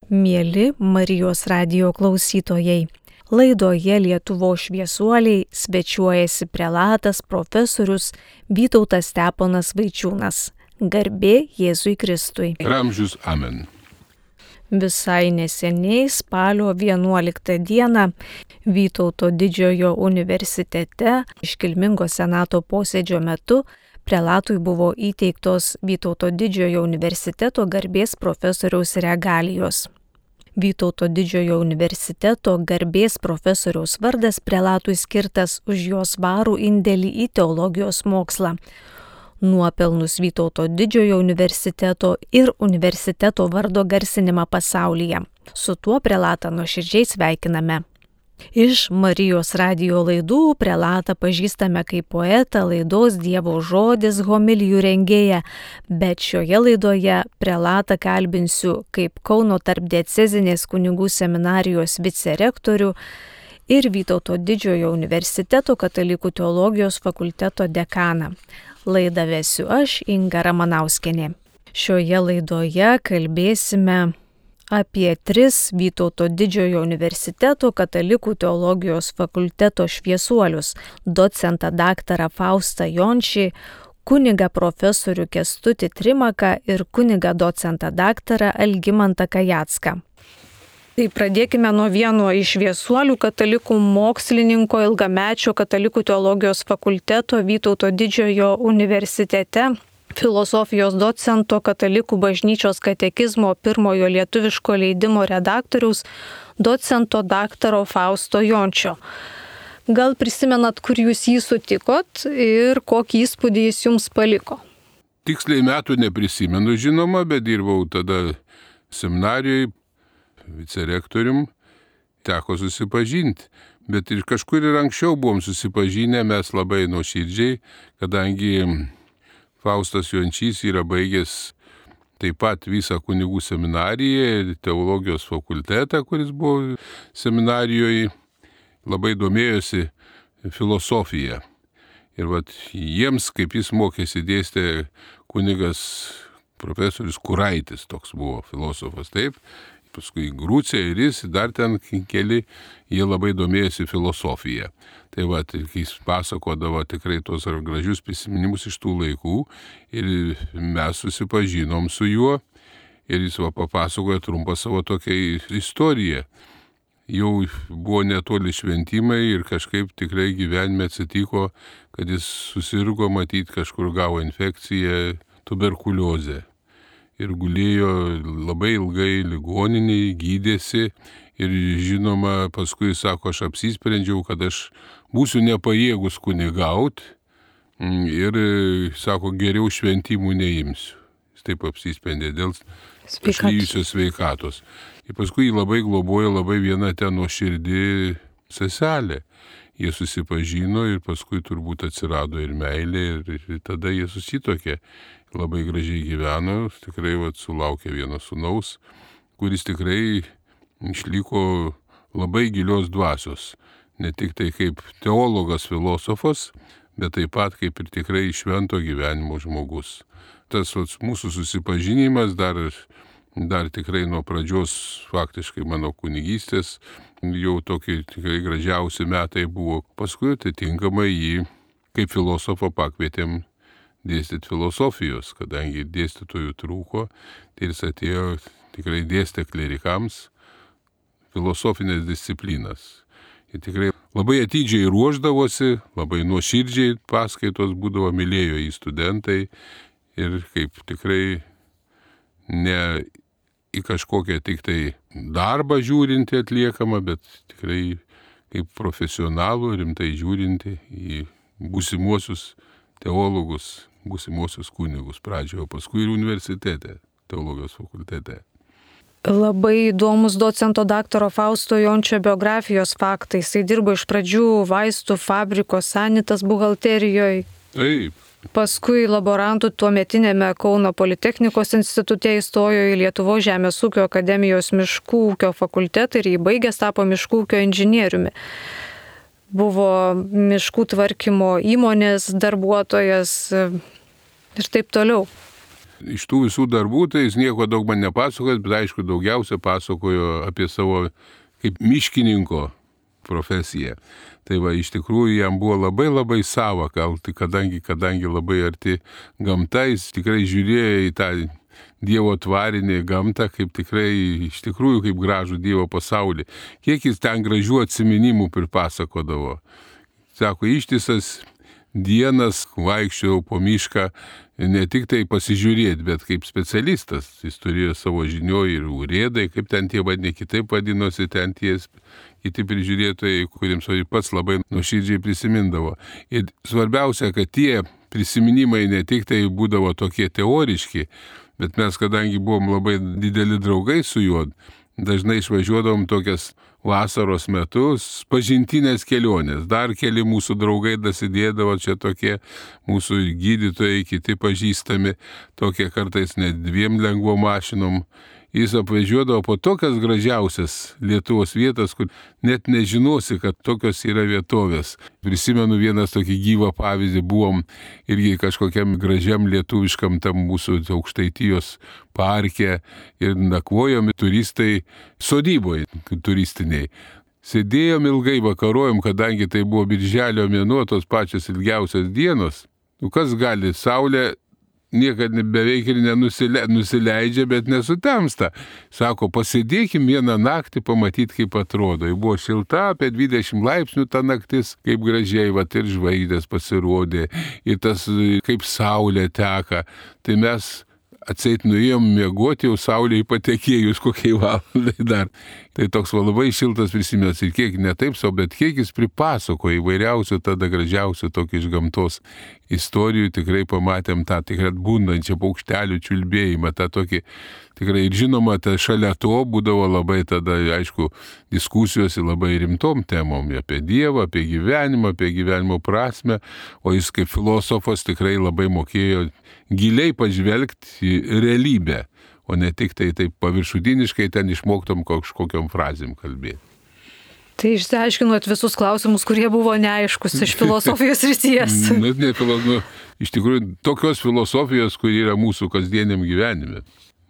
Mieli Marijos radijo klausytojai, laidoje Lietuvos šviesuoliai svečiuojasi prelatas profesorius Vytautas Steponas Vaičiūnas. Garbė Jėzui Kristui. Ramžius amen. Visai neseniai spalio 11 dieną Vytauto didžiojo universitete iškilmingo senato posėdžio metu prelatui buvo įteiktos Vytauto didžiojo universiteto garbės profesoriaus regalijos. Vytauto didžiojo universiteto garbės profesoriaus vardas prelatui skirtas už jo svarų indėlį į teologijos mokslą, nuopelnus Vytauto didžiojo universiteto ir universiteto vardo garsinimą pasaulyje. Su tuo prelatą nuoširdžiai sveikiname. Iš Marijos radijo laidų prelatą pažįstame kaip poetą, laidos Dievo žodis homilijų rengėją, bet šioje laidoje prelatą kalbinsiu kaip Kauno tarpdiecezinės kunigų seminarijos vicerektorių ir Vytauto didžiojo universiteto katalikų teologijos fakulteto dekaną. Laidą vesiu aš, Inga Ramanauskienė. Šioje laidoje kalbėsime apie 3 Vytauto didžiojo universiteto katalikų teologijos fakulteto šviesuolius – docentą daktarą Faustą Jončį, kunigą profesorių Kęstutį Trimaką ir kunigą docentą daktarą Algimantą Kajacką. Tai pradėkime nuo vieno iš šviesuolių katalikų mokslininko ilgamečio katalikų teologijos fakulteto Vytauto didžiojo universitete, filosofijos docento katalikų bažnyčios katekizmo pirmojo lietuviško leidimo redaktoriaus docento daktaro Fausto Jončio. Gal prisimenat, kur jūs jį sutikot ir kokį įspūdį jis jums paliko? Tiksliai metų neprisimenu, žinoma, bet dirbau tada seminarijoje vicerektorium, teko susipažinti. Bet ir kažkur ir anksčiau buvom susipažinę, mes labai nuoširdžiai, kadangi Faustas Jončys yra baigęs taip pat visą kunigų seminariją ir teologijos fakultetą, kuris buvo seminarijoje, labai domėjosi filosofija. Ir jiems, kaip jis mokėsi, dėstė kunigas profesorius Kuraitis, toks buvo filosofas, taip. Paskui Grūcė ir jis, dar ten keli, jie labai domėjosi filosofiją. Tai kai jis pasakodavo tikrai tos gražius prisiminimus iš tų laikų ir mes susipažinom su juo ir jis papasakojo trumpą savo tokią istoriją. Jau buvo netoli šventimai ir kažkaip tikrai gyvenime atsitiko, kad jis susirgo, matyt, kažkur gavo infekciją, tuberkuliozę. Ir gulėjo labai ilgai ligoninėje, gydėsi ir žinoma, paskui sako, aš apsisprendžiau, kad aš būsiu nepajėgus kunigauti ir sako, geriau šventimų neimsiu. Jis taip apsisprendė dėl išlyjusios sveikatos. Ir paskui jį labai globojo labai viena ten nuoširdi seselė. Jie susipažino ir paskui turbūt atsirado ir meilė ir tada jie susitokė. Labai gražiai gyveno, tikrai sulaukė vieno sūnaus, kuris tikrai išliko labai gilios dvasios. Ne tik tai kaip teologas, filosofas, bet taip pat kaip ir tikrai švento gyvenimo žmogus. Tas mūsų susipažinimas dar tikrai nuo pradžios faktiškai mano kunigystės, jau tokie tikrai gražiausi metai buvo. Paskui atitinkamai jį kaip filosofą pakvietėm dėstyti filosofijos, kadangi dėstytojų trūko, tai jis atėjo tikrai dėstė klerikams filosofinės disciplinas. Ir tikrai labai atidžiai ruošdavosi, labai nuoširdžiai paskaitos būdavo, mylėjo į studentai ir kaip tikrai ne į kažkokią tik tai darbą žiūrinti atliekama, bet tikrai kaip profesionalų rimtai žiūrinti į būsimuosius teologus, būsimuosius kunigus pradžioje, o paskui ir universitete, teologijos fakultete. Labai įdomus docento daktaro Fausto Jončio biografijos faktai. Jis dirbo iš pradžių vaistų fabriko Sanitas buhalterijoje. Taip. Paskui laborantų tuometinėme Kauno Politechnikos institute įstojo į Lietuvos žemės ūkio akademijos miškų ūkio fakultetą ir jį baigęs tapo miškų ūkio inžinieriumi. Buvo miškų tvarkymo įmonės darbuotojas ir taip toliau. iš tų visų darbų, tai jis nieko daug man nepasakojo, bet aišku, daugiausia pasakojo apie savo kaip miškininko profesiją. Tai va, iš tikrųjų jam buvo labai sava, kadangi labai arti gamta, jis tikrai žiūrėjo į tą Dievo tvarinį gamtą, kaip tikrai, iš tikrųjų, kaip gražų Dievo pasaulį. Kiek jis ten gražių atsiminimų pripasakodavo. Sako, ištisas dienas vaikščiojau po mišką, ne tik tai pasižiūrėti, bet kaip specialistas. Jis turėjo savo žinioj ir urėdai, kaip ten tie vadiniai, kitaip vadinosi, ten tie kiti prižiūrėtojai, kuriems pats labai nuoširdžiai prisimindavo. Ir svarbiausia, kad tie prisiminimai ne tik tai būdavo tokie teoriški, bet mes, kadangi buvom labai dideli draugai su juo, dažnai išvažiuodavom tokias vasaros metus, pažintinės kelionės. Dar keli mūsų draugai dasidėdavo, čia tokie mūsų gydytojai, kiti pažįstami, tokie kartais net 2 lengvom mašinom. Jis apvažiuodavo po tokias gražiausias Lietuvos vietas, kur net nežinosi, kad tokios yra vietovės. Prisimenu vienas tokį gyvą pavyzdį, buvom irgi kažkokiam gražiam lietuviškam tam mūsų Aukštaitijos parke ir nakvojom turistai sodyboje turistiniai. Sėdėjom ilgai, vakarojom, kadangi tai buvo birželio mėnuo, tos pačios ilgiausios dienos. Kas gali, saulė niekada beveik ir nusileidžia, bet nesutemsta. Sako, pasėdėkim vieną naktį, pamatyti, kaip atrodo. Ji buvo šilta, apie 20 laipsnių ta naktis, kaip gražiai, ir žvaigždės pasirodė, ir tas, kaip saulė teka. Tai mes atseit nuėjom miegoti, jau saulėje patekėjus kokiai valandai dar. Tai toks labai šiltas prisiminimas ir kiek ne taip savo, bet kiek jis pripasakoja įvairiausių, tada gražiausių tokių iš gamtos istorijų. Tikrai pamatėm tą tikrai atbundančią paukštelių čiulbėjimą, tą tokį tikrai ir žinoma, šalia to būdavo labai tada, aišku, diskusijos labai rimtom temom apie Dievą, apie gyvenimo prasme, o jis kaip filosofas tikrai labai mokėjo giliai pažvelgti į realybę, o ne tik tai taip paviršutiniškai ten išmoktom kažkokiom frazėm kalbėti. Tai išsiaiškinot visus klausimus, kurie buvo neaiškus iš filosofijos srities. Iš tikrųjų, tokios filosofijos, kuri yra mūsų kasdieniam gyvenime.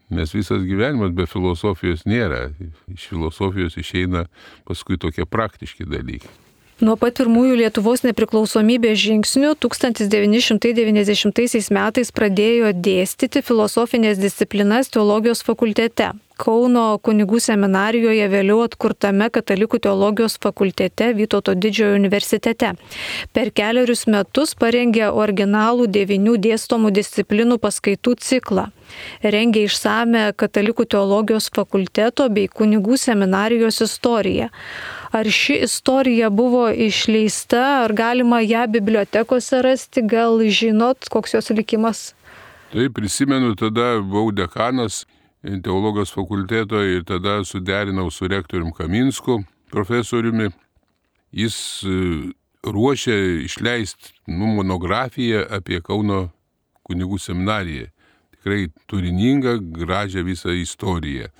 Nes visas gyvenimas be filosofijos nėra. Iš filosofijos išeina paskui tokie praktiški dalykai. Nuo pat pirmųjų Lietuvos nepriklausomybės žingsnių 1990 metais pradėjo dėstyti filosofinės disciplinas teologijos fakultete. Kauno kunigų seminarijoje, vėliau atkurtame Katalikų teologijos fakultete Vytauto Didžiojo universitete. Per 4 metus parengė originalų 9 dėstomų disciplinų paskaitų ciklą. Rengė išsame Katalikų teologijos fakulteto bei kunigų seminarijos istoriją. Ar ši istorija buvo išleista, ar galima ją bibliotekose rasti, gal žinot, koks jos likimas? Tai prisimenu, tada buvau dekanas teologijos fakulteto ir tada suderinau su rektorium Kaminsku, profesoriumi. Jis ruošė išleisti monografiją apie Kauno kunigų seminariją. Tikrai turiningą, gražią visą istoriją.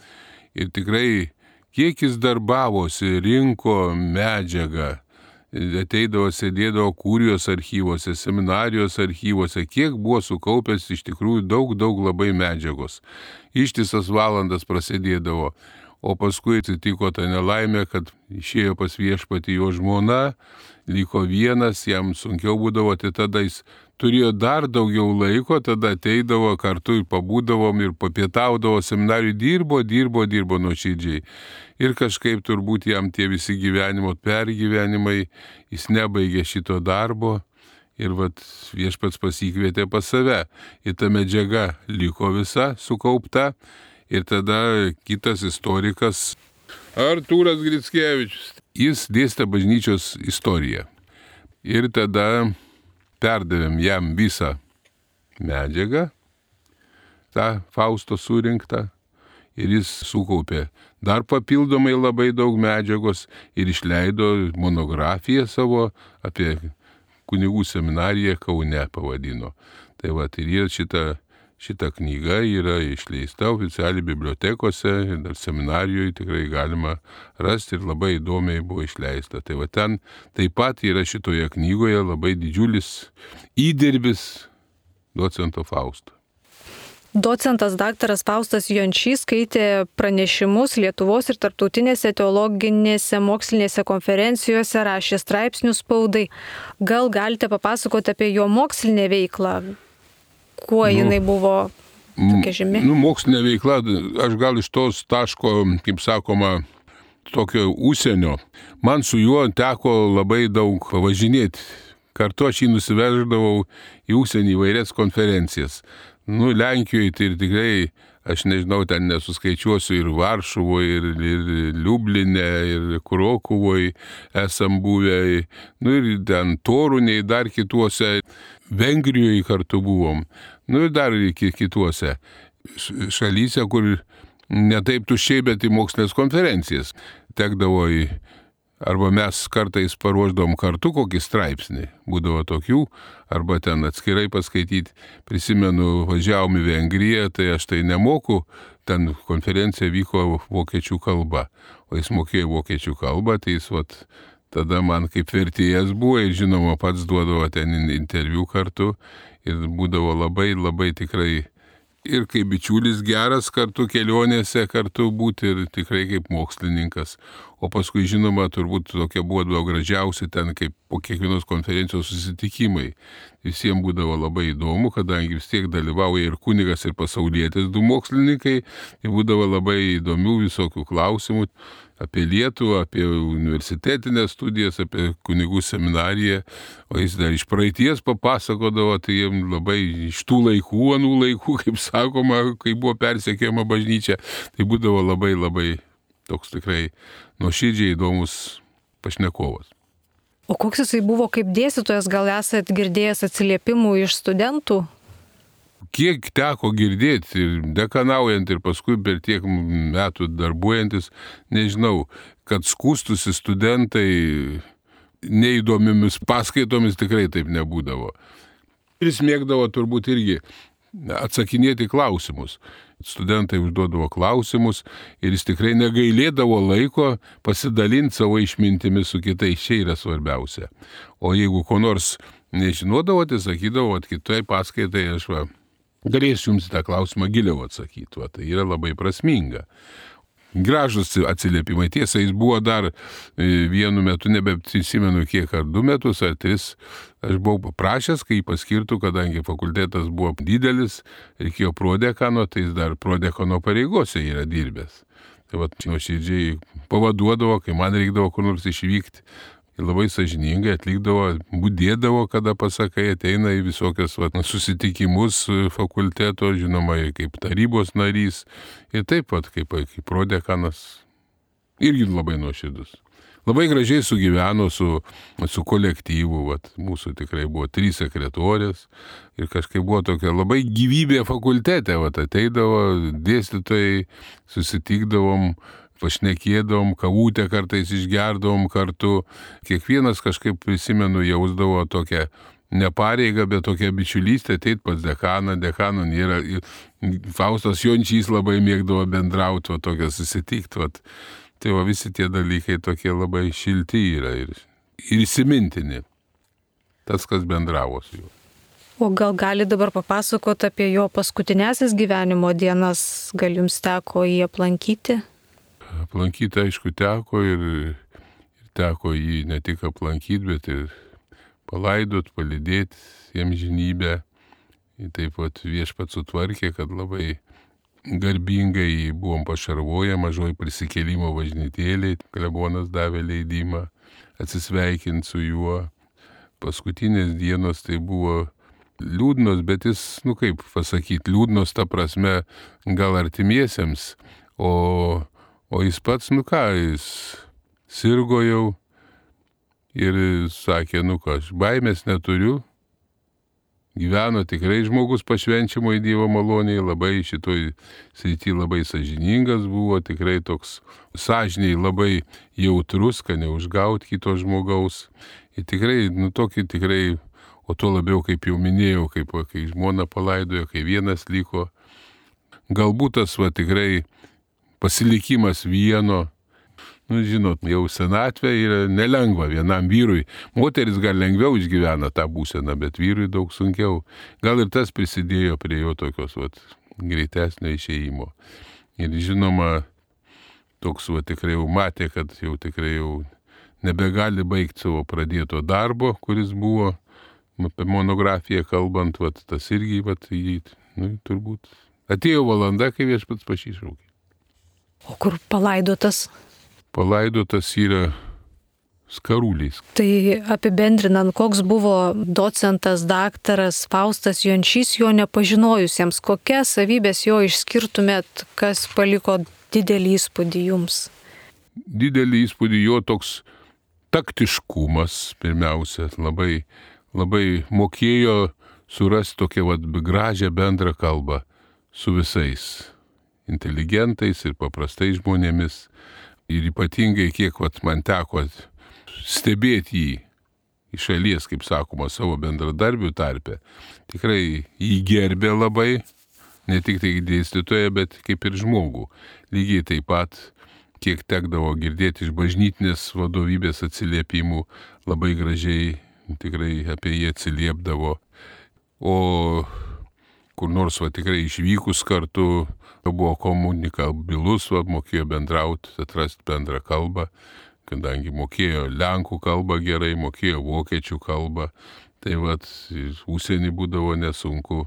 Ir tikrai kiek jis darbavosi, rinko medžiagą, ateidavo, sėdėdavo kurijos archyvose, seminarijos archyvose, kiek buvo sukaupęs iš tikrųjų daug labai medžiagos. Ištisas valandas prasidėdavo, o paskui atsitiko ta nelaimė, kad išėjo pas viešpatį jo žmona, liko vienas, jam sunkiau būdavo, tai tada jis turėjo dar daugiau laiko, tada ateidavo kartu ir pabūdavom ir papietaudavo seminarijų, dirbo nuoširdžiai. Ir kažkaip turbūt jam tie visi gyvenimo pergyvenimai, jis nebaigė šito darbo ir viešpats pasikvietė pas save. Ir ta medžiaga liko visa sukaupta ir tada kitas istorikas Artūras Grickevičius, jis dėstė bažnyčios istoriją. Ir tada perdavėm jam visą medžiagą, tą Fausto surinktą, ir jis sukaupė dar papildomai labai daug medžiagos ir išleido monografiją savo apie kunigų seminariją Kaune pavadino. Tai ir šita knyga yra išleista oficialiai bibliotekose ir dar seminarijoje tikrai galima rasti ir labai įdomiai buvo išleista. Tai ten taip pat yra šitoje knygoje labai didžiulis įdirbis docento Fausto. Docentas daktaras Faustas Jončys skaitė pranešimus Lietuvos ir tarptautinėse teologinėse mokslinėse konferencijose, rašė straipsnius spaudai. Gal galite papasakoti apie jo mokslinę veiklą? Kuo jinai buvo tokia žymi? Mokslinė veikla, aš gal iš tos taško, kaip sakoma, tokio užsienio. Man su juo teko labai daug važinėti. Kartu aš jį nusiveždavau į užsienį įvairias konferencijas. Lenkijoje tai ir tikrai, aš nežinau, ten nesuskaičiuosiu, ir Varšuvoje, ir Liubline, ir Krokuvoje esam buvę, ir ten Torunėje, dar kituose, Vengrijoje kartu buvom, ir dar kituose šalyse, kur ne taip tuščiai, bet į mokslinės konferencijas tekdavo arba mes kartais paruošdavom kartu kokį straipsnį, būdavo tokių, arba ten atskirai paskaityti. Prisimenu, važiavom į Vengriją, tai aš tai nemoku, ten konferencija vyko vokiečių kalba, o jis mokėjo vokiečių kalbą, tai jis tada man kaip vertėjas buvo ir žinoma pats duodavo ten interviu kartu ir būdavo labai, labai tikrai ir kaip bičiulis geras kartu kelionėse, kartu būti ir tikrai kaip mokslininkas. O paskui, žinoma, turbūt tokie buvo gražiausi ten kaip po kiekvienos konferencijos susitikimai. Visiems būdavo labai įdomu, kadangi vis tiek dalyvauja ir kunigas, ir pasaulietis du mokslininkai. Tai būdavo labai įdomių visokių klausimų apie Lietuvą, apie universitetinės studijas, apie kunigų seminariją. O jis dar iš praeities papasakodavo, tai jiems labai iš tų laikų, anų laikų, kaip sakoma, kai buvo persekiojama bažnyčia, tai būdavo labai, labai toks tikrai nuoširdžiai įdomus pašnekovas. O koks jisai buvo kaip dėstytojas, gal esat girdėjęs atsiliepimų iš studentų? Kiek teko girdėti, ir dekanaujant, ir paskui per tiek metų darbuojantis, nežinau, kad skųstusi studentai neįdomiomis paskaitomis tikrai taip nebūdavo. Ir jis mėgdavo turbūt irgi atsakinėti klausimus. Studentai užduodavo klausimus ir jis tikrai negailėdavo laiko pasidalinti savo išmintimis su kitais. Čia yra svarbiausia. O jeigu ko nors nežinodavo, tai sakydavo, kitoj paskaitai aš galėsiu jums tą klausimą giliau atsakyti. Tai yra labai prasminga. Gražus atsiliepimai. Tiesa, jis buvo dar vienu metu, nebeprisimenu kiek, ar 2 metus, ar 3. Aš buvau paprašęs, kai jį paskirtų, kadangi fakultetas buvo didelis, reikėjo prodekano, tai jis dar prodekano pareigose yra dirbęs. Tai nuoširdžiai pavaduodavo, kai man reikdavo kur nors išvykti. Ir labai sąžiningai atlikdavo, budėdavo, kada pasakai, ateina į visokias susitikimus fakulteto, žinoma, kaip tarybos narys. Ir taip pat, kaip prodekanas. Irgi labai nuoširdus. Labai gražiai sugyveno su kolektyvu. Mūsų tikrai buvo 3 sekretorės. Ir kažkaip buvo tokia labai gyvybė fakultete. Ateidavo dėstytojai, susitikdavom, pašnekėdavom, kavutę kartais išgerdavom kartu. Kiekvienas kažkaip, prisimenu, jausdavo tokią ne pareigą, bet tokią bičiulystę ateit pas dekaną. Dekano nėra. Faustas Jončys labai mėgdavo bendrauti, tokią susitikti. Tai visi tie dalykai tokie labai šilti yra ir įsimintini. Tas, kas bendravo su juo. O gal gali dabar papasakoti apie jo paskutinėsias gyvenimo dienas? Gal jums teko jį aplankyti? Aplankyti, aišku, teko ir teko jį ne tik aplankyti, bet ir palaidot, palydėti jiems žinybę. Ir taip pat viešpats sutvarkė, kad labai garbingai buvom pašarvoję mažoj prisikėlimo bažnytėlėj. Klebonas davė leidimą atsisveikinti su juo. Paskutinės dienos tai buvo liūdnos, bet jis, kaip pasakyti, liūdnos ta prasme gal artimiesiems, o jis pats, jis sirgo jau ir sakė, aš baimės neturiu. Gyveno tikrai žmogus pašvenčiamo į Dievo malonėje, labai šitoj srity labai sąžiningas buvo, tikrai toks sąžiniai labai jautrus, kad neužgauti kito žmogaus. Ir tikrai, tokį tikrai, o tuo labiau, kaip jau minėjau, kai žmona palaidojo, kai vienas liko. Galbūt tas tikrai pasilikimas vieno. Žinot, jau senatvė yra nelengva vienam vyrui. Moteris gal lengviau išgyvena tą būseną, bet vyrui daug sunkiau. Gal ir tas prisidėjo prie jo tokios greitesnio išėjimo. Ir žinoma, toks tikrai jau matė, kad jau tikrai jau nebegali baigti savo pradėto darbo, kuris buvo, apie monografiją kalbant, tas irgi, turbūt atėjo valanda, kai Viešpats pasišaukė. O kur palaidotas? Palaidotas yra Skaruliais. Tai apibendrinant, koks buvo docentas, daktaras Faustas Jončys, jo nepažinojusiems, kokias savybės jo išskirtumėt, kas paliko didelį įspūdį jums? Didelį įspūdį jo toks taktiškumas, pirmiausia, labai, labai mokėjo surasti tokią gražią bendrą kalbą su visais inteligentais ir paprastais žmonėmis. Ir ypatingai, kiek man teko stebėti jį iš šalies, kaip sakoma, savo bendradarbių tarpe, tikrai jį gerbė labai, ne tik tai dėstytoją, bet kaip ir žmogų. Lygiai taip pat, kiek tekdavo girdėti iš bažnytinės vadovybės atsiliepimų, labai gražiai tikrai apie jį atsiliepdavo. O kur nors tikrai išvykus kartu, buvo komunikabilus, mokėjo bendrauti, atrasti bendrą kalbą, kadangi mokėjo lenkų kalbą gerai, mokėjo vokiečių kalbą, tai užsienį būdavo nesunku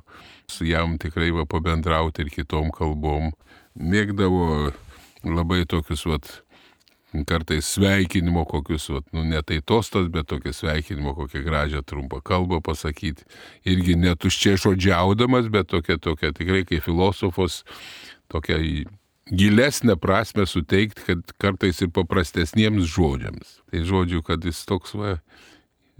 su jam tikrai pabendrauti ir kitom kalbom. Mėgdavo labai tokius kartais sveikinimo kokius, ne tai tostas, bet tokia sveikinimo kokią gražią trumpą kalbą pasakyti. Irgi netuščiai žodžiaudamas, bet tokia tikrai kaip filosofos, tokia gilesnę prasme suteikti, kad kartais ir paprastesniems žodžiams. Tai žodžiu, kad jis toks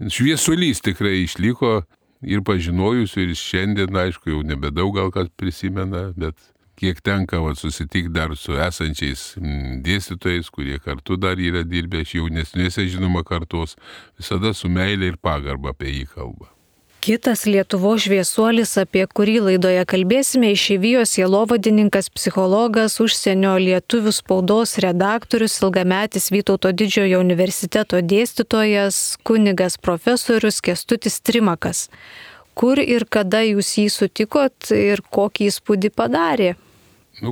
šviesulys tikrai išliko ir pažinojusių, ir šiandien, aišku, jau nebedaug gal kas prisimena, bet kiek tenka susitikti dar su esančiais dėstytojais, kurie kartu dar yra dirbę iš jaunesnėse, žinoma, kartos, visada su meilė ir pagarba apie jį kalba. Kitas Lietuvos šviesuolis, apie kurį laidoje kalbėsime, išeivijos sielovadininkas, psichologas, užsienio lietuvių spaudos redaktorius, ilgametis Vytauto Didžiojo universiteto dėstytojas, kunigas profesorius Kęstutis Trimakas. Kur ir kada jūs jį sutikot ir kokį įspūdį padarė?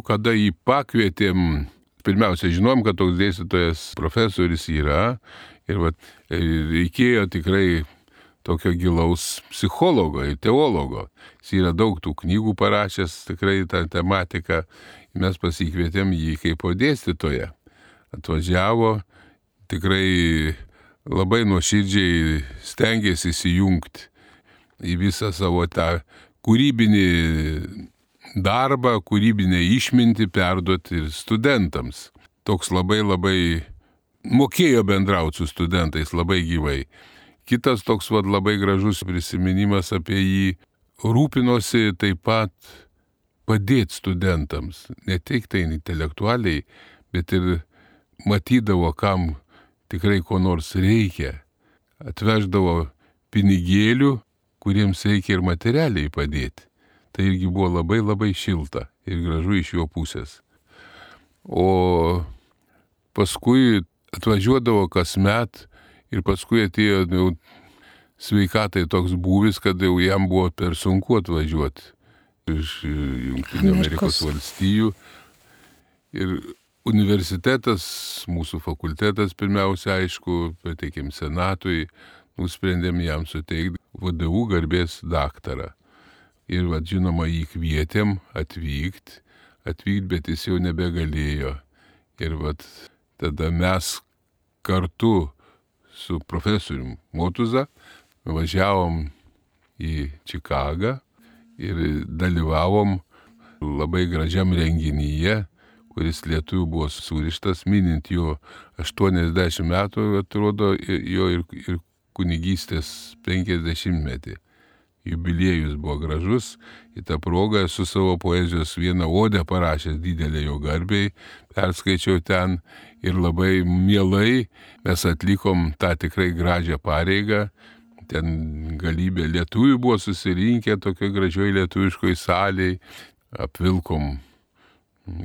Kada jį pakvietėm, pirmiausia, žinom, kad toks dėstytojas profesorius yra ir reikėjo tikrai tokio gilaus psichologo ir teologo. Jis yra daug tų knygų parašęs, tikrai tą tematiką. Mes pasikvietėm jį kaip dėstytoją. Atvažiavo, tikrai labai nuoširdžiai stengėsi įsijungti į visą savo tą kūrybinį darbą, kūrybinę išmintį perduoti ir studentams. Toks labai mokėjo bendrauti su studentais labai gyvai. Kitas toks labai gražus prisiminimas apie jį, rūpinosi taip pat padėti studentams, ne tik tai intelektualiai, bet ir matydavo, kam tikrai ko nors reikia. Atveždavo pinigėlių, kuriems reikia ir materialiai padėti. Tai irgi buvo labai šilta ir gražu iš jo pusės. O paskui atvažiuodavo kasmet ir paskui atėjo sveikatai toks būvis, kad jau jam buvo per sunku atvažiuoti iš Junktinių Amerikos valstijų. Ir universitetas, mūsų fakultetas pirmiausia, aišku, pateikėm senatui, nusprendėm jam suteikti VDU garbės daktarą. Ir žinoma, jį kvietėm atvykti, bet jis jau nebegalėjo. Ir tada mes kartu su profesorium Motuza važiavom į Čikagą ir dalyvavom labai gražiam renginyje, kuris lietuvių buvo surištas, minint jo 80 metų, atrodo, jo ir kunigystės 50-metį. Jubiliejus buvo gražus, į tą progą su savo poezijos vieną odę parašęs didelę jo garbei, perskaičiau ten ir labai mielai mes atlikom tą tikrai gražią pareigą. Ten galybė lietuvių buvo susirinkę tokio gražioj lietuviškoj salėj, apvilkom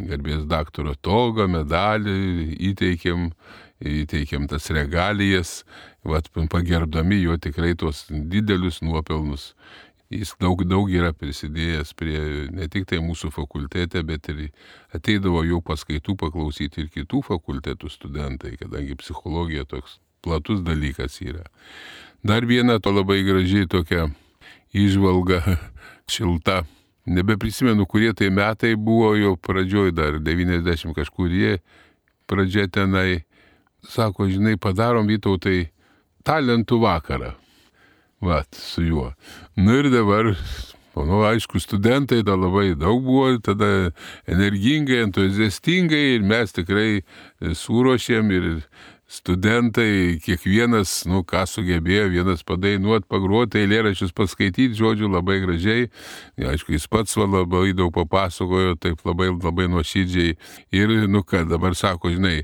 garbės daktaro togą, medalį, įteikėm tas regalijas, pagerbdami jo tikrai tos didelius nuopelnus Jis daug yra prisidėjęs prie ne tik tai mūsų fakultete, bet ir ateidavo jau paskaitų paklausyti ir kitų fakultetų studentai, kadangi psichologija toks platus dalykas yra. Dar viena to labai gražiai tokia įžvalga šilta. Nebeprisimenu, kurie tai metai buvo, jau pradžioj dar 90 kažkurie pradžia tenai. Sako, žinai, padarom Vytautai talentų vakarą. Vat, su juo. Ir dabar, aišku, studentai da labai daug buvo, tada energingai, entuziastingai ir mes tikrai suruošėm ir studentai, kiekvienas, ką sugebėjo, vienas padainuot, pagroti, eilėraščius paskaityti, žodžiu, labai gražiai. Aišku, jis pats labai daug papasakojo, taip labai nuoširdžiai. Ir, dabar sako, žinai,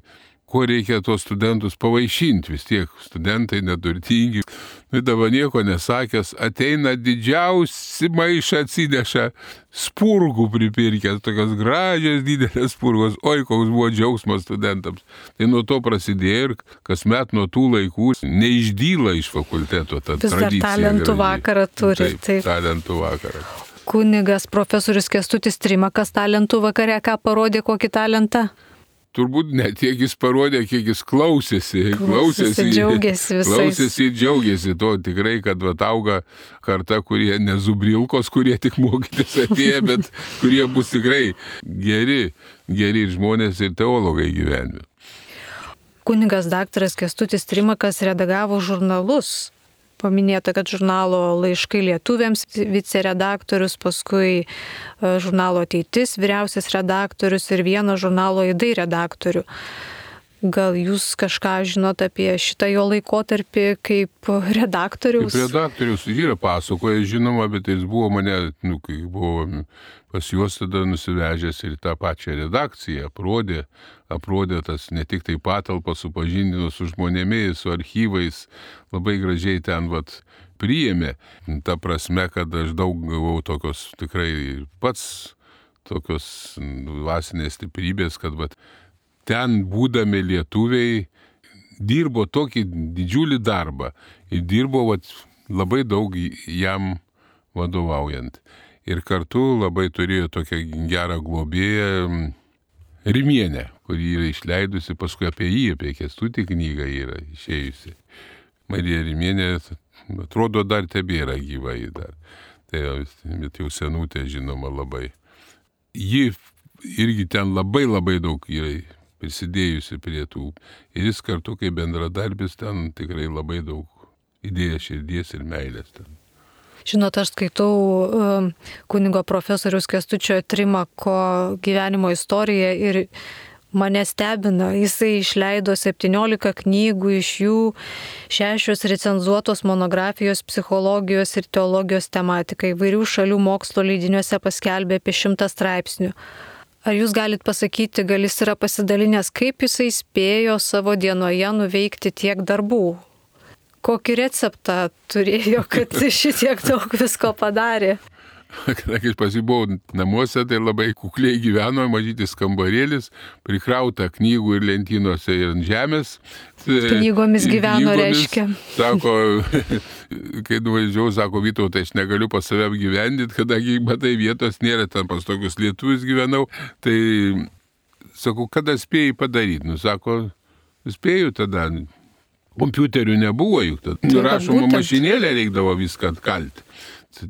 ko reikia tos studentus pavaišinti, vis tiek studentai neturtingi. Dabar nieko nesakęs, ateina didžiausi maišą atsineša, spurgų pripirkęs, tokios gražios didelės spurgos, oi, koks buvo džiaugsmas studentams. Tai nuo to prasidėjo ir kasmet nuo tų laikų neišdyla iš fakulteto ta tradicija. Vis dar talentų vakarą turi. Taip, talentų vakarą. Kunigas profesorius Kęstutis Trimakas talentų vakare ką parodė, kokį talentą? Turbūt ne tiek jis parodė, kiek jis klausėsi. Džiaugiasi visais. Klausėsi ir džiaugiasi to tikrai, kad auga karta, kurie nezubrilkos, kurie tik mokytis atėjo, bet kurie bus tikrai geri žmonės ir teologai gyvenime. Kunigas daktaras Kęstutis Trimakas redagavo žurnalus. Paminėta, kad žurnalo Laiškai lietuviams viceredaktorius, paskui žurnalo Ateitis vyriausias redaktorius ir vieną žurnalo Aidai redaktorių. Gal jūs kažką žinot apie šitą jo laikotarpį kaip redaktorius? Kaip redaktorius yra pasakoja, žinoma, bet jis buvo mane, kai buvo pas juos tada nusivežęs ir tą pačią redakciją, aprodė tas ne tik tai patalpą, supažindino su žmonėmis, su archyvais, labai gražiai ten priėmė. Ta prasme, kad aš daug gavau tokios tikrai pats tokios dvasinės stiprybės, kad ten būdami lietuviai dirbo tokį didžiulį darbą ir dirbo labai daug jam vadovaujant. Ir kartu labai turėjo tokią gerą globėją Rimienę, kuri yra išleidusi, paskui apie Kęstutį knygą yra išėjusi. Marija Rimienė, atrodo, dar tebėra gyva ji dar. Tai jau senutė, žinoma, labai. Ji irgi ten labai daug yra prisidėjusi prie tų. Ir jis kartu, kaip bendradarbis, ten tikrai labai daug įdėjo širdies ir meilės ten. Žinot, aš skaitau kunigo profesoriaus Kęstučio Trimako gyvenimo istoriją ir mane stebina. Jisai išleido 17 knygų, iš jų 6 recenzuotos monografijos psichologijos ir teologijos tematikai. Įvairių šalių mokslo leidiniuose paskelbė apie 100 straipsnių. Ar jūs galit pasakyti, gal jis yra pasidalinęs, kaip jisai spėjo savo dienoje nuveikti tiek darbų? Kokį receptą turėjo, kad šitiek daug visko padarė? Kadangi aš pasibuvau namuose, tai labai kukliai gyveno, mažytis kambarėlis, prikrauta knygų ir lentynose ir ant žemės. Knygomis gyveno, reiškia. Sako, kai nuvažiavau, sako, Vytautai, aš negaliu pas save apgyvendinti, kadangi matai vietos nėra, ten pas tokius lietuvius gyvenau. Tai, sako, kada spėjai padaryti? Sako, spėjau tada. Kompiuterių nebuvo, juk rašoma mašinėlė reikdavo viską atkalti.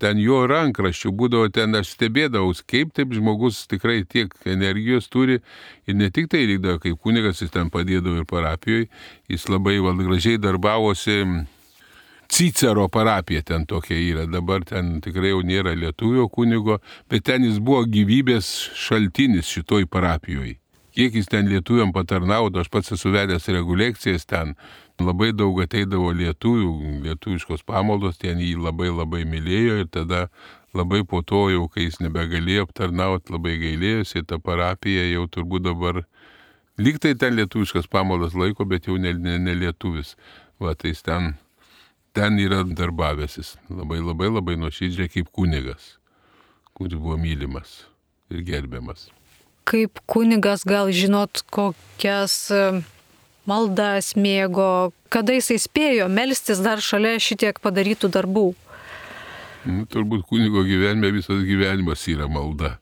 Ten jo rankraščių būdavo, ten aš stebėdavau, kaip taip žmogus tikrai tiek energijos turi ir ne tik tai reikdavo, kaip kunigas jis ten padėdavo ir parapijoje, jis labai gražiai darbavosi. Cicero parapija ten tokia yra, dabar ten tikrai jau nėra lietuvio kunigo, bet ten jis buvo gyvybės šaltinis šitoj parapijoje. Kiek jis ten lietuviam patarnaudo, aš pats esu vedęs rekolekcijas ten, labai daug ateidavo lietuviškos pamaldos, ten jį labai mylėjo ir tada labai po to jau, kai jis nebegalėjo aptarnauti, labai gailėjosi, ta parapija jau turbūt dabar, lyg tai ten lietuviškas pamaldas laiko, bet jau ne lietuvis. Tai jis ten yra darbavęsis, labai nuoširdžiai kaip kunigas, kuris buvo mylimas ir gerbiamas. Kaip kunigas gal žinot, kokias maldas mėgo, kada jisai spėjo melstis dar šalia šitiek padarytų darbų? Turbūt kunigo gyvenime visas gyvenimas yra malda.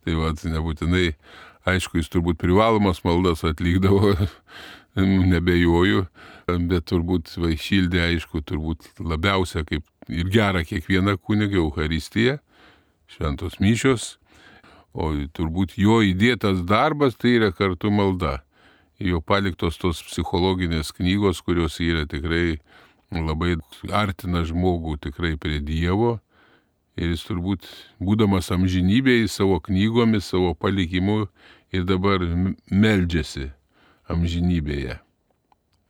Tai nebūtinai, aišku, jis turbūt privalomas maldas atlikdavo, nebejoju, bet turbūt šildė, aišku, turbūt labiausia kaip ir gera kiekvieną kunigą Eucharistiją, šventos mišios, o turbūt jo įdėtas darbas tai yra kartu malda. Jo paliktos tos psichologinės knygos, kurios yra tikrai labai artina žmogų tikrai prie Dievo. Ir jis turbūt, būdamas amžinybėje, savo knygomis, savo palikimu ir dabar meldžiasi amžinybėje.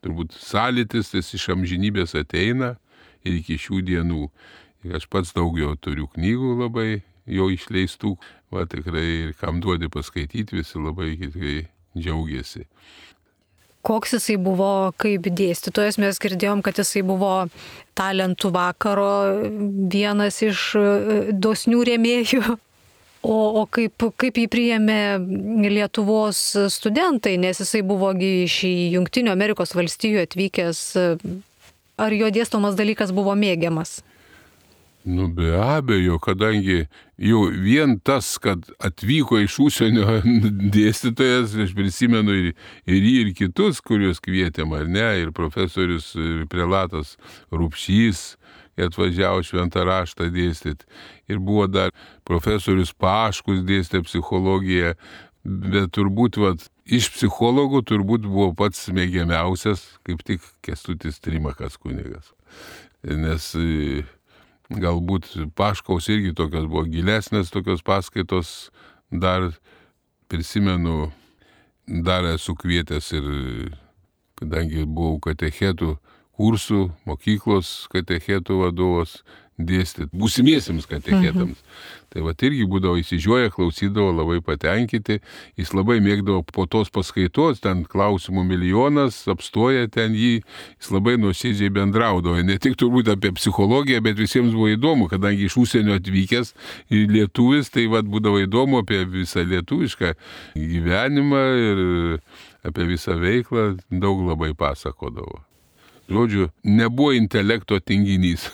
Turbūt sąlytis jis iš amžinybės ateina ir iki šių dienų. Ir aš pats daugiau turiu knygų labai jo išleistų, tikrai ir kam duodi paskaityti, visi labai tikrai džiaugiasi. Koks jisai buvo kaip dėstytojas, mes girdėjom, kad jisai buvo talentų vakaro vienas iš dosnių rėmėjų. O kaip jį priėmė Lietuvos studentai, nes jisai buvogi iš Jungtinių Amerikos valstijų atvykęs, ar jo dėstomas dalykas buvo mėgiamas? Be abejo, kadangi jau vien tas, kad atvyko iš užsienio dėstytojas, aš prisimenu ir jį, ir kitus, kuriuos kvietėm, ar ne, ir profesorius, ir prelatas Rupšys, atvažiavo šventą raštą dėstyti. Ir buvo dar profesorius Paškus dėstė psichologiją, bet turbūt iš psichologų turbūt buvo pats mėgiamiausias, kaip tik Kęstutis Trimakas kunigas. Nes galbūt Paškaus irgi tokios buvo gilesnės tokios paskaitos, dar prisimenu, dar esu kvietęs ir, kadangi buvau katechetų kursų, mokyklos katechetų vadovas, dėstyti būsimiesiems katechetams. Tai irgi būdavo įsižiūrėję, klausydavo, labai patenkinti, jis labai mėgdavo po tos paskaitos, ten klausimų milijonas, apstoja ten jį, jis labai nuoširdžiai bendraudavo, ne tik turbūt apie psichologiją, bet visiems buvo įdomu, kadangi iš užsienio atvykęs ir lietuvis, tai būdavo įdomu apie visą lietuvišką gyvenimą ir apie visą veiklą, daug labai pasakodavo. Žodžiu, nebuvo intelekto tinginys.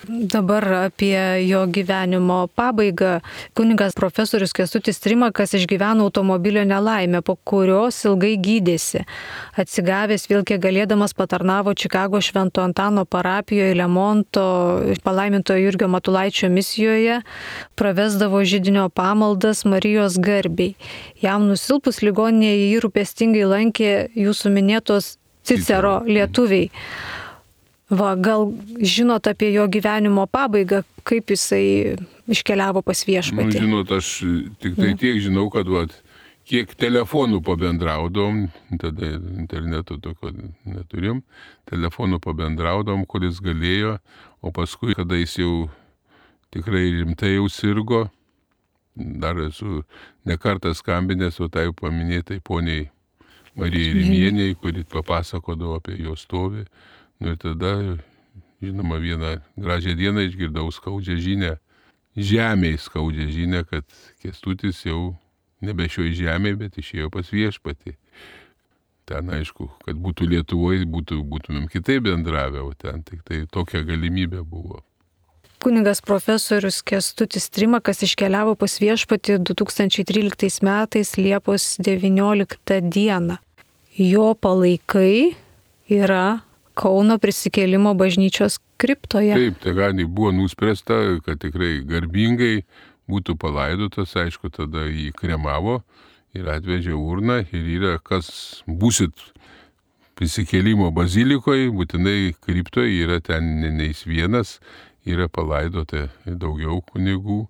Dabar apie jo gyvenimo pabaigą. Kunigas profesorius Kęstutis Trimakas išgyveno automobilio nelaimę, po kurios ilgai gydėsi. Atsigavęs vėl kiek galėdamas patarnavo Čikago Švento Antano parapijoje Lemonto palaimintojo Jurgio Matulaičio misijoje, pravesdavo židinio pamaldas Marijos garbei. Jam nusilpus ligoninėje jį rūpestingai lankė jūsų minėtos Cicero lietuviai. Gal žinot apie jo gyvenimo pabaigą, kaip jisai iškeliavo pas viešpatį? Žinot, aš tik tai tiek žinau, kad kiek telefonų pabendraudom, tada interneto tokio neturim, telefonų pabendraudom, kuris galėjo, o paskui, kada jis jau tikrai rimtai jau sirgo, dar esu nekartą skambinęs, o tai paminėtai poniai Marijai Rimieniai, kuri papasakodavo apie jo stovį. Ir tada, žinoma, vieną gražią dieną išgirdau skaudžią žinią, žemėj skaudžią žinią, kad Kęstutis jau nebe šioj žemėje, bet išėjo pas viešpatį. Ten, aišku, kad būtų Lietuvoje, būtumėm kitaip bendravę, o ten tik tai tokia galimybė buvo. Kunigas profesorius Kęstutis Trimakas iškeliavo pas viešpatį 2013 metais Liepos 19 dieną. Jo palaikai yra Kauno Prisikėlimo bažnyčios kriptoje. Taip, Taganį buvo nuspręsta, kad tikrai garbingai būtų palaidotas, aišku, tada jį kremavo ir atvežė urną ir yra, kas būsit Prisikėlimo bazilikoje, būtinai kriptoje yra ten neis vienas, yra palaidota daugiau kunigų,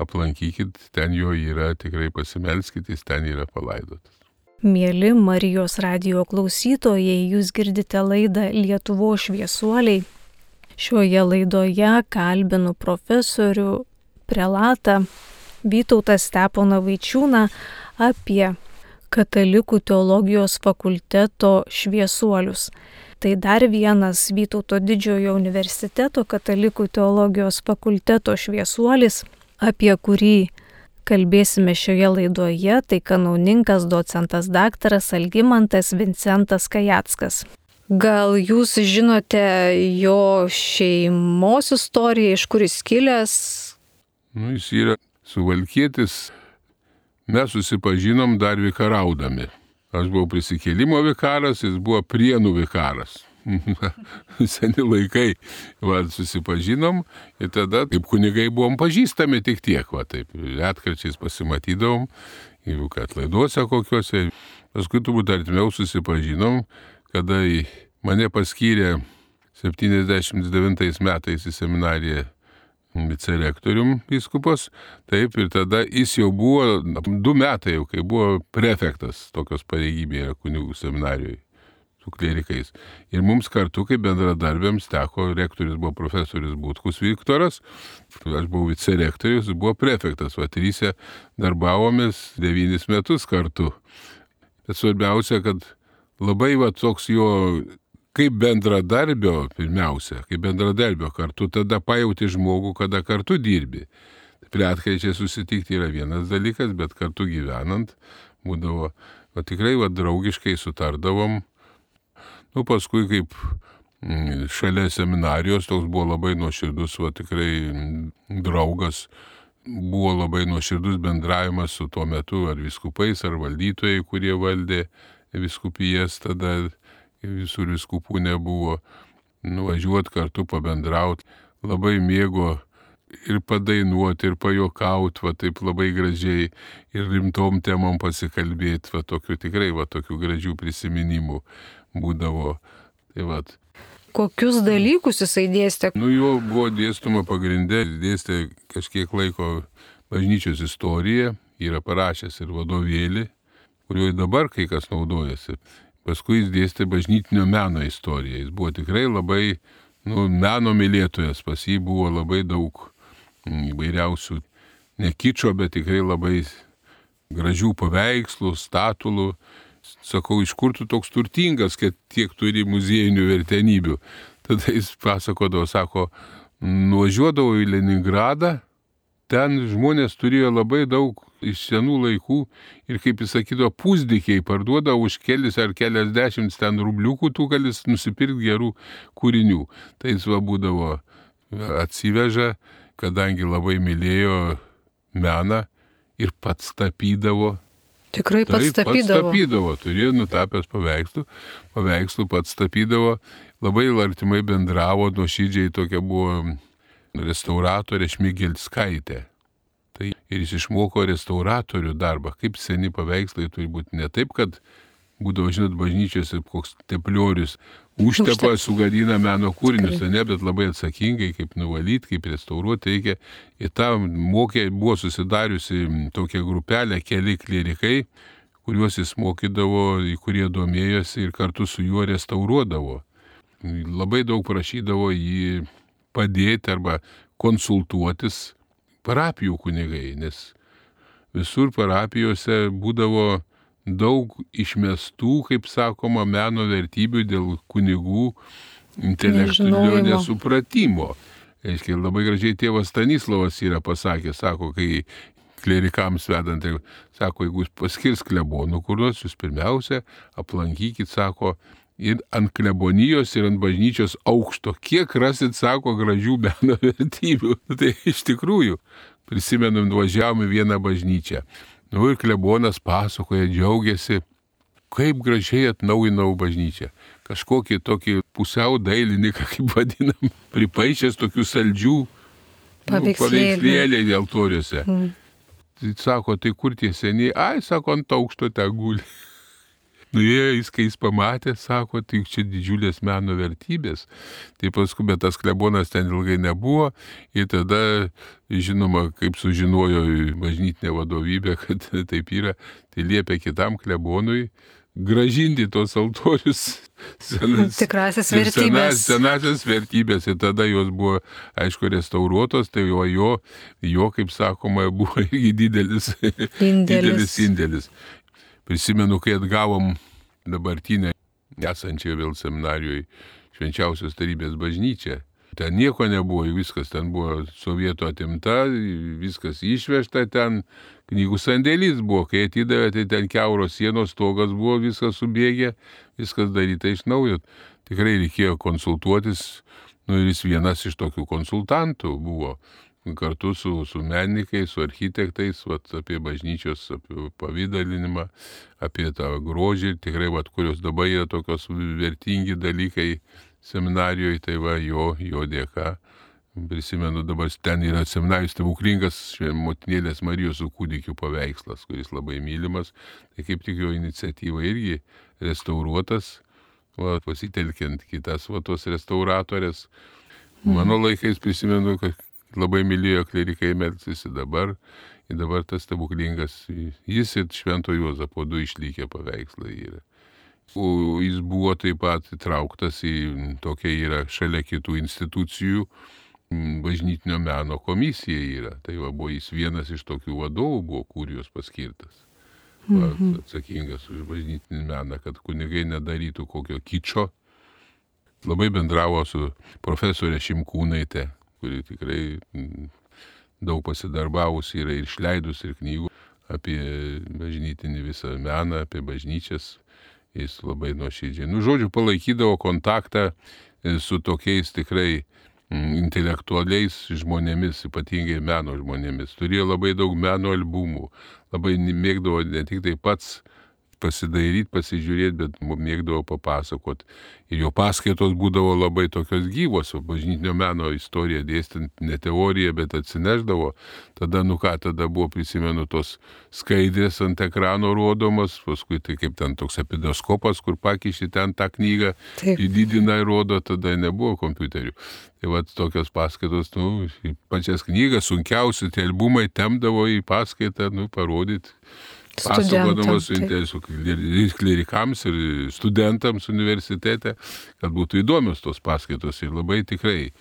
aplankykit, ten jo yra, tikrai pasimelskit, jis ten yra palaidotas. Mieli Marijos radijo klausytojai, jūs girdite laidą Lietuvos šviesuoliai. Šioje laidoje kalbinu profesorių prelatą Vytautą Steponą Vaičiūną apie Katalikų teologijos fakulteto šviesuolius. Tai dar vienas Vytauto Didžiojo universiteto Katalikų teologijos fakulteto šviesuolis, apie kurį kalbėsime šioje laidoje, tai kanauninkas docentas daktaras Algimantas Vincentas Kajackas. Gal jūs žinote jo šeimos istoriją, iš kur jis kilęs? Jis yra suvalkietis. Mes susipažinom dar vikaraudami. Aš buvau Prisikėlimo vikaras, jis buvo Prienų vikaras. Seni laikai, susipažinom ir tada kaip kunigai buvom pažįstami tik tiek, taip, retkarčiais pasimatydavom, jeigu kad laiduose kokiuose. Paskui turbūt artimiau susipažinom, kada mane paskyrė 79 metais į seminariją vicerektorium vyskupas, taip, ir tada jis jau buvo 2 metai jau, kai buvo prefektas, tokios pareigybė kunigų seminarijoje su klierikais. Ir mums kartu, kaip bendradarbiams, teko, rektorius buvo profesorius Butkus Viktoras, aš buvau vicerektorius, jis buvo prefektas, tryse darbavomės 9 metus kartu. Bet svarbiausia, kad labai toks jo kaip bendradarbio, pirmiausia, kaip bendradarbio kartu, tada pajauti žmogų, kada kartu dirbi. Retkarčiais susitikti yra vienas dalykas, bet kartu gyvenant būdavo, tikrai draugiškai sutardavom. Paskui kaip šalia seminarijos, toks buvo labai nuoširdus, tikrai draugas, buvo labai nuoširdus bendravimas su tuo metu ar vyskupais, ar valdytojai, kurie valdė vyskupijas tada. Visur vyskupų nebuvo, nuvažiuoti kartu pabendrauti, labai mėgo ir padainuoti, ir pajokauti, taip labai gražiai, ir rimtom temom pasikalbėti, tikrai tokių gražių prisiminimų būdavo. Kokius dalykus jisai dėstė? Jo buvo dėstoma pagrindė, dėstė kažkiek laiko bažnyčios istoriją, yra parašęs ir vadovėlį, kuriuo dabar kai kas naudojasi. Paskui jis dėstė bažnytinio meno istoriją. Jis buvo tikrai labai meno mylėtojas, pas jį buvo labai daug įvairiausių, ne kičo, bet tikrai labai gražių paveikslų, statulų. Sakau, iš kur tu toks turtingas, kad tiek turi muziejinių vertenybių. Tada jis pasakodavo, sako, nuvažiuodavo į Leningradą, ten žmonės turėjo labai daug iš senų laikų ir, kaip jis sakydavo, pusdykiai parduodavo už kelis ar keliasdešimt ten rubliukų, tu gali nusipirkti gerų kūrinių. Tai jis būdavo atsiveža, kadangi labai mylėjo meną ir pats tapydavo. Tikrai pats tapydavo? Pats tapydavo, turėjo nutapęs paveikslų pats tapydavo, labai artimai bendravo, nuoširdžiai tokia buvo restauratorė Šmigelskaitė. Ir jis išmoko restauratorių darbą, kaip seni paveikslai turi būti. Ne taip, kad būdavo, žinot, bažnyčiose koks tepliorius užtepa, sugadina meno kūrinius, ne, bet labai atsakingai, kaip nuvalyti, kaip restauruoti reikia. Ir tam buvo susidariusi tokia grupelė, keli klierikai, kuriuos jis mokydavo, į kurie domėjosi ir kartu su juo restauruodavo. Labai daug prašydavo jį padėti arba konsultuotis parapijų kunigai, nes visur parapijose būdavo daug išmestų, kaip sakoma, meno vertybių dėl kunigų intelektualio nesupratimo. Aiškiai, labai gražiai tėvas Stanislavas yra pasakęs, sako, kai klerikams vedant, sako, jeigu jūs paskirs klebonų kuriuos, jūs pirmiausia aplankykit, sako, ir ant klebonijos, ir ant bažnyčios aukšto. Kiek rasit, sako, gražių meno vertybių. Tai iš tikrųjų, prisimenam, nuvažiavome vieną bažnyčią. Ir klebonas pasakoja, džiaugiasi, kaip gražiai atnaujinau bažnyčią. Kažkokį tokį pusiau dailininką, kaip vadinam, pripaišęs tokių saldžių paveikslėliai altoriuose. Sako, tai kur tie seniai? Ai, sako, ant aukšto ten guli. Jis, kai jis pamatė, sako, tai čia didžiulės meno vertybės. Tai paskui, bet tas klebonas ten ilgai nebuvo. Ir tada, žinoma, kaip sužinojo bažnytinė vadovybė, kad taip yra, tai liepė kitam klebonui grąžinti tos altorius. Tikrasias vertybės. Senasias vertybės. Ir tada jos buvo, aišku, restauruotos, tai jo, kaip sakoma, buvo irgi didelis indėlis. Prisimenu, kai atgavom dabartinę esančią vėl seminarijoje Švenčiausios Trejybės bažnyčią. Ten nieko nebuvo, viskas ten buvo sovietų atimta, viskas išvežta ten, knygų sandėlys buvo, kai atidavė, tai ten kiauros sienos, stogas buvo, viskas subėgė, viskas daryta iš naujo. tikrai reikėjo konsultuotis, ir jis vienas iš tokių konsultantų buvo. Kartu su menininkais, su architektais, apie bažnyčios, apie pavydalinimą, apie tą grožį, tikrai, kurios dabar yra tokios vertingi dalykai seminarijoje, tai jo dėka. Prisimenu, dabar ten yra seminarijos stebuklingas motinėlės Marijos su kūdikiu paveikslas, kuris labai mylimas, tai kaip tik jo iniciatyva irgi restauruotas, pasitelkiant kitas tos restauratorės. Mano laikais prisimenu, kad labai mylėjo klerikai melstis dabar tas stebuklingas, jis ir Švento Juozapo 2 išlikę paveikslai yra. O jis buvo taip pat įtrauktas į tokia yra šalia kitų institucijų bažnytinio meno komisija yra. Tai buvo jis vienas iš tokių vadovų buvo kurijos paskirtas. Atsakingas už bažnytinį meną, kad kunigai nedarytų kokio kičo. Labai bendravo su profesorė Šimkūnaitė, kuri tikrai daug pasidarbavus yra ir išleidus ir knygų apie bažnytinį visą meną, apie bažnyčias. Jis labai nuoširdžiai. Žodžiu, palaikydavo kontaktą su tokiais tikrai intelektualiais žmonėmis, ypatingai meno žmonėmis. Turėjo labai daug meno albumų, labai mėgdavo ne tik tai pats pasidairyti, pasižiūrėti, bet mėgdavo papasakot. Ir jo paskaitos būdavo labai tokios gyvos, bažnytinio meno istoriją dėstant, ne teoriją, bet atsineždavo. Tada, tada buvo, prisimenu, tos skaidrės ant ekrano rodomos, paskui tai kaip ten toks epidoskopas, kur pakiši ten tą knygą, įdidina ir rodo, tada nebuvo kompiuterių. Tai tokios paskaitos, pačias knygas, sunkiausi tie albumai temdavo į paskaitą, parodyti. Pasakodamas su klerikams ir studentams universitete, kad būtų įdomios tos paskaitos ir labai tikrai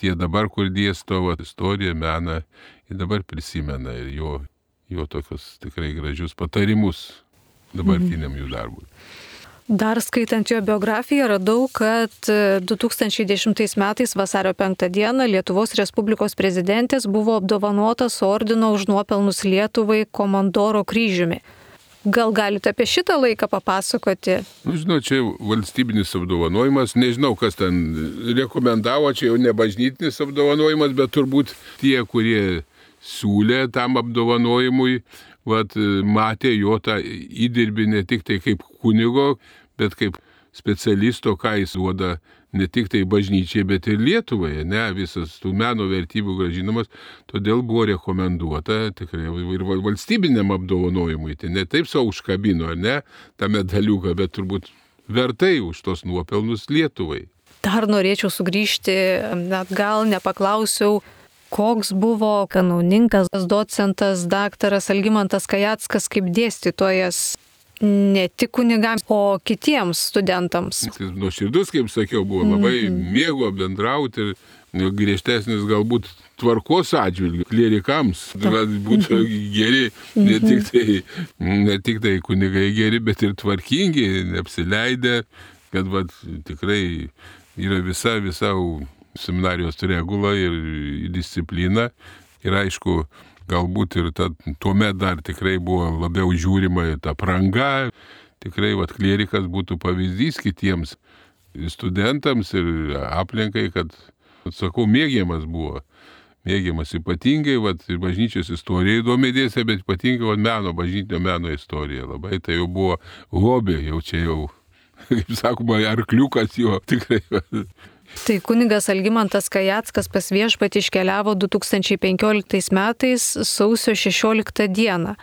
tie dabar, kur dėsto istoriją, meną, ir dabar prisimena ir jo tokius tikrai gražius patarimus dabartiniam jų darbui. Dar skaitant jo biografiją radau, kad 2010 metais vasario 5 dieną Lietuvos Respublikos prezidentės buvo apdovanotas ordino už nuopelnus Lietuvai komandoro kryžiumi. Gal galite apie šitą laiką papasakoti? Žinau, čia valstybinis apdovanojimas, nežinau, kas ten rekomendavo, čia jau ne bažnytinis apdovanojimas, bet turbūt tie, kurie siūlė tam apdovanojimui, matė jo tą įdirbį ne tik tai kaip kunigo, bet kaip specialisto, ką jis duoda ne tik tai bažnyčiai, bet ir Lietuvai, visas tų meno vertybių grąžinamas, todėl buvo rekomenduota tikrai ir valstybiniam apdovanojimui, tai ne taip savo užkabino, tą medaliuką, bet turbūt vertai už tos nuopelnus Lietuvai. Dar norėčiau sugrįžti, net gal nepaklausiau, koks buvo kanauninkas, docentas, daktaras Algimantas Kajackas kaip dėstytojas ne tik kunigams, o kitiems studentams. Nuoširdus, kaip sakiau, buvo labai mėgo bendrauti ir griežtesnis galbūt tvarkos atžvilgių klerikams, būtų geri, ne tik tai kunigai geri, bet ir tvarkingi, neapsileidę, kad tikrai yra visa seminarijos regula ir disciplina. Ir aišku, galbūt ir tuomet dar tikrai buvo labiau žiūrima ta apranga. Tikrai klierikas būtų pavyzdys kitiems studentams ir aplinkai, kad, sakau, mėgiamas buvo. Mėgiamas ypatingai, ir bažnyčios istorija įdomi dėstė, bet ypatingai bažnytinio meno istorija. Labai tai jau buvo hobė, jau čia jau, kaip sakoma, arkliukas jo tikrai. Tai kunigas Algimantas Kajackas pas viešpatį iškeliavo 2015 metais sausio 16 dieną.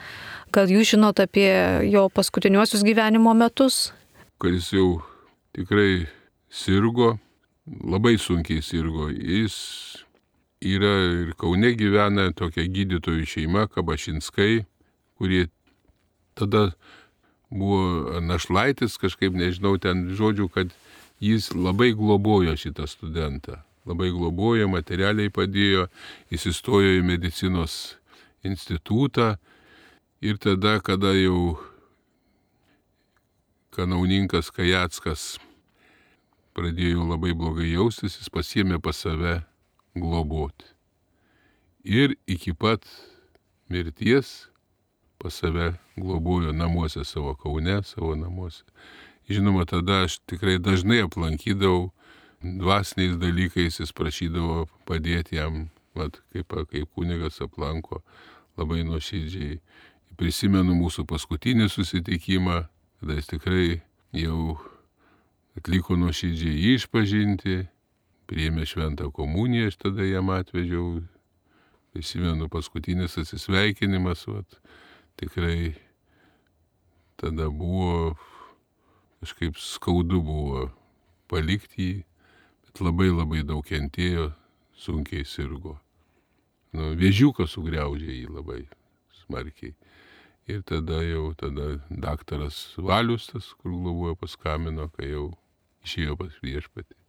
Gal jūs žinot apie jo paskutiniuosius gyvenimo metus? Kad jis jau tikrai sirgo, labai sunkiai sirgo. Jis yra ir Kaune gyvena tokia gydytojų šeima, Kabašinskai, kurie tada buvo našlaitis, kažkaip nežinau ten žodžių, kad jis labai globojo šitą studentą. Labai globojo, materialiai padėjo, jis įstojo į medicinos institutą ir tada, kada jau kanauninkas Kajackas pradėjo labai blogai jaustis, jis pasiėmė pas save globoti. Ir iki pat mirties pas save globojo namuose savo Kaune, savo namuose. žinoma, tada aš tikrai dažnai aplankydavau, dvasiniais dalykais jis prašydavo padėti jam, kaip kunigas aplanko, labai nuoširdžiai. Prisimenu mūsų paskutinį susitikimą, kada jis tikrai jau atliko nuoširdžiai išpažinti, priėmė šventą komuniją, aš tada jam atvežiau. Prisimenu paskutinis atsisveikinimas, tikrai tada buvo, kažkaip skaudu buvo palikti jį, bet labai labai daug kentėjo, sunkiai sirgo. Vėžiukas sugriaužė jį labai smarkiai. Ir tada daktaras Valius, tas, kur globojo, paskambino, kai jau išėjo pas viešpatį.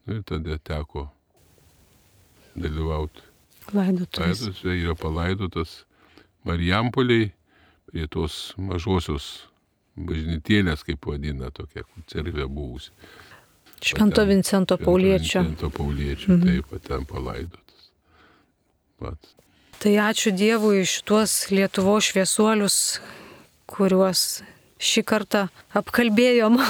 Ir tada teko dalyvauti. Laidotuvėse yra palaidotas Marijampoliai prie tos mažosios bažnytėlės, kaip vadina, tokia cerkvė buvusi. Švento Vincento Pauliečio. Taip, ten palaidotas. Tai ačiū Dievui šituos Lietuvos šviesuolius, kuriuos šį kartą apkalbėjom.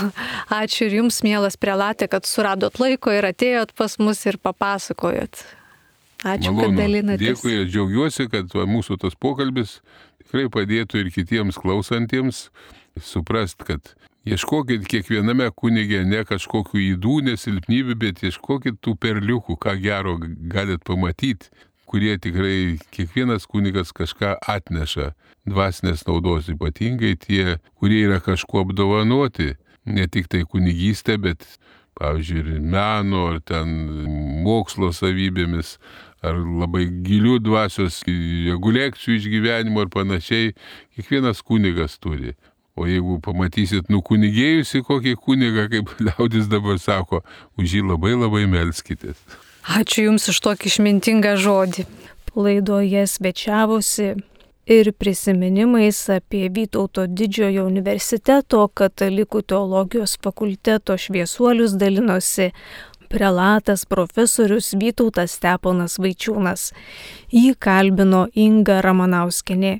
Ačiū ir jums, mielas prelate, kad suradot laiko ir atėjot pas mus ir papasakojot. Ačiū, malonu, kad dalinatės. Dėkui ir džiaugiuosi, kad mūsų tas pokalbis tikrai padėtų ir kitiems klausantiems suprast, kad ieškokit kiekviename kunige ne kažkokių ydų, nesilpnybių, bet ieškokit tų perliukų, ką gero galit pamatyti, kurie tikrai kiekvienas kunigas kažką atneša dvasinės naudos, ypatingai tie, kurie yra kažkuo apdovanoti, ne tik tai kunigystė, bet, pavyzdžiui, ir meno, ar ten mokslo savybėmis, ar labai gilių dvasios rekolekcijų išgyvenimo ir panašiai, kiekvienas kunigas turi. O jeigu pamatysit nukunigėjusi kokį kunigą, kaip liaudis dabar sako, už jį labai labai melskitės. Ačiū Jums už tokį išmintingą žodį. Laidoje svečiavosi ir prisiminimais apie Vytauto Didžiojo universiteto katalikų teologijos fakulteto šviesuolius dalinosi prelatas profesorius Vytautas Steponas Vaičiūnas. Jį kalbino Inga Ramanauskienė.